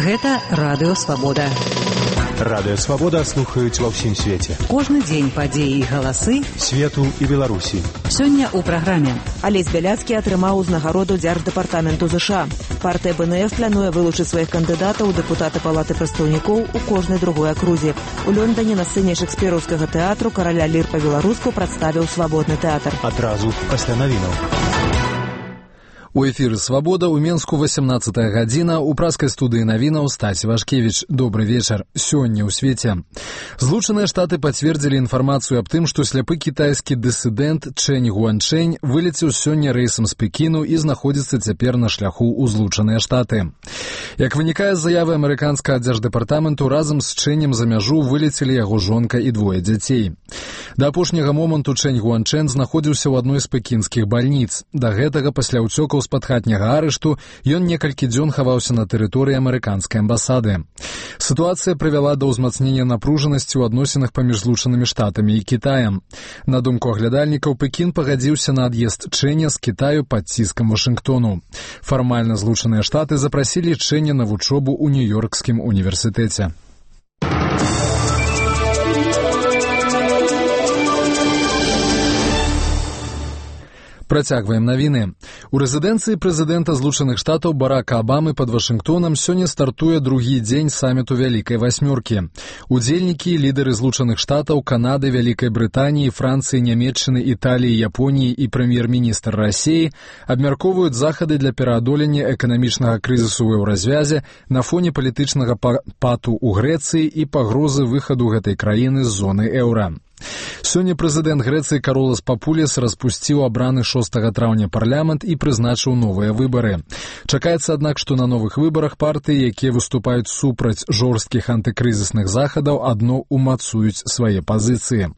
Гэта Радыё Свабода. Радыё Свабода слухаюць ва ўсім свеце. Кожны дзень падзеі і галасы свету і Беларусі. Сёння ў праграме. Алесь Бяляцкі атрымаў узнагароду Дзярждэпартаменту ЗША. Партыя БНФ плануе вылучыць сваіх кандыдатаў у дэпутаты Палаты прадстаўнікоў у кожнай другой акрузе. У Лондоне на сцэне шекспіраўскага тэатру караля лір па-беларуску прадставіў свабодны тэатр. Адразу пасля навінаў. У эфіры «Свабода» у Менску 18-я гадзіна. У праскай студыі навінаў Стась Вашкевіч. Добры вечар. Сёння ў свеце. Злучаныя Штаты пацвердзілі інфармацыю аб тым, што сляпы кітайскі дысідэнт Чэнь Гуанчэнь вылецеў сёння рэйсам з Пекіну і знаходзіцца цяпер на шляху ў Злучаныя Штаты. Як вынікае з заявы амерыканскага дзярждэпартаменту, разам з Чэнем за мяжу вылецелі яго жонка і двое дзяцей. Да апошняга моманту Чэнь Гуанчэнь знаходзіўся ў адной з пекінскіх бальніц. Да гэтага пасля ўцёкаў з-пад хатняга арышту ён некалькі дзён хаваўся на тэрыторыі амерыканскай амбасады. Сітуацыя прывяла да ўзмацнення напружанасці ў адносінах паміж Злучанымі Штатамі і Кітаем. На думку аглядальнікаў, Пекін пагадзіўся на ад'езд Чэня з Кітаю пад ціскам Вашынгтону. Фармальна Злучаныя Штаты запрасілі Чэня на вучобу ў Нью-Йоркскім універсітэце. Працягваем навіны. У рэзідэнцыі прэзідэнта Злучаных Штатаў Барака Абамы пад Вашынгтонам сёння стартуе другі дзень саміту Вялікай Васьмёркі. Удзельнікі, лідары Злучаных Штатаў, Канады, Вялікай Брытаніі, Францыі, Нямецчыны, Італіі, Японіі і прэм'ер-міністр Расіі абмяркоўваюць захады для пераадолення эканамічнага крызісу ў еўразвязе на фоне палітычнага пату ў Грэцыі і пагрозы выхаду гэтай краіны з зоны еўра. Сёння прэзідэнт Грэцыі Каролас Папуліс распусціў абраны 6 траўня парламент і прызначыў новыя выбары. Чакаецца, аднак, што на новых выбарах партыі, якія выступаюць супраць жорсткіх антыкрызісных захадаў, адно умацуюць свае пазіцыі.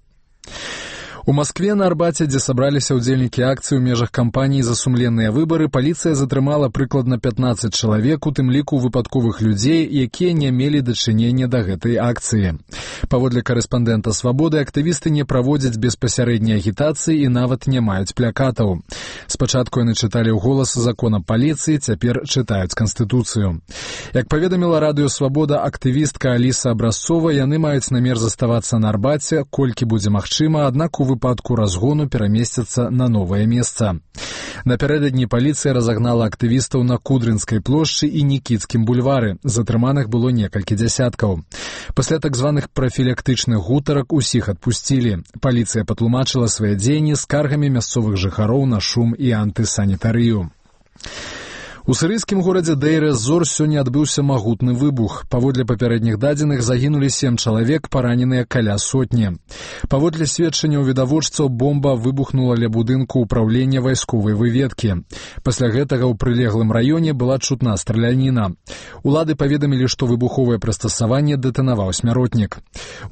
У Маскве на Арбаце, дзе сабраліся ўдзельнікі акцыі ў межах кампаніі за сумленныя выбары, паліцыя затрымала прыкладна 15 чалавек, у тым ліку выпадковых людзей, якія не мелі дачынення да гэтай акцыі. Паводле карэспандэнта «Свабоды», актывісты не праводзяць беспасярэдняй агітацыі і нават не маюць плякатаў. Спачатку яны чыталі ўголас закон аб паліцыі, цяпер чытаюць Канстытуцыю. Як паведаміла Радыё Свабода актывістка Аліса Абразцова, яны маюць намер заставацца на Арбаце, колькі будзе магчыма, аднак у выпадку разгону перамесцяцца на новае месца. Напярэдадні паліцыя разагнала актывістаў на Кудрынскай плошчы і Нікіцкім бульвары. Затрыманых было некалькі дзясяткаў. Пасля так званых прафілактычных гутарак усіх адпусцілі. Паліцыя патлумачыла свае дзеянні скаргамі мясцовых жыхароў на шум і антысанітарыю. У сірыйскім горадзе Дейр-эз-Зор сёння адбыўся магутны выбух. Паводле папярэдніх дадзеных загінулі 7 чалавек, параненыя каля сотні. Паводле сведчанняў відавочцаў, бомба выбухнула ля будынку ўпраўлення вайсковай выведкі. Пасля гэтага ў прылеглым раёне была чутна страляніна. Улады паведамілі, што выбуховае прыстасаванне дэтанаваў смяротнік.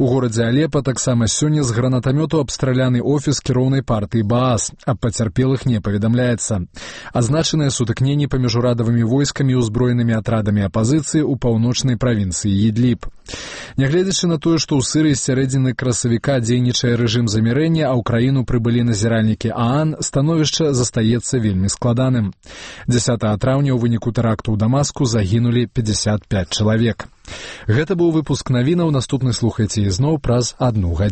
У горадзе Алепа таксама сёння з гранатамёту абстраляны офіс кіроўнай партыі Баас. Аб пацярпелых не паведамляецца. Азначаныя сутыкненні паміж урадавымі войскамі і ўзброенымі атрадамі апазіцыі ў паўночнай правінцыі Ідліб. Нягледзячы на тое, што ў Сірыі з сярэдзіны красавіка дзейнічае рэжым замірэння, а ў краіну прыбылі назіральнікі ААН, становішча застаецца вельмі складаным. 10 траўня ў выніку тэракту ў Дамаску загінулі 55 чалавек. Гэта быў выпуск навінаў, наступны слухайце ізноў праз 1 гадзіну.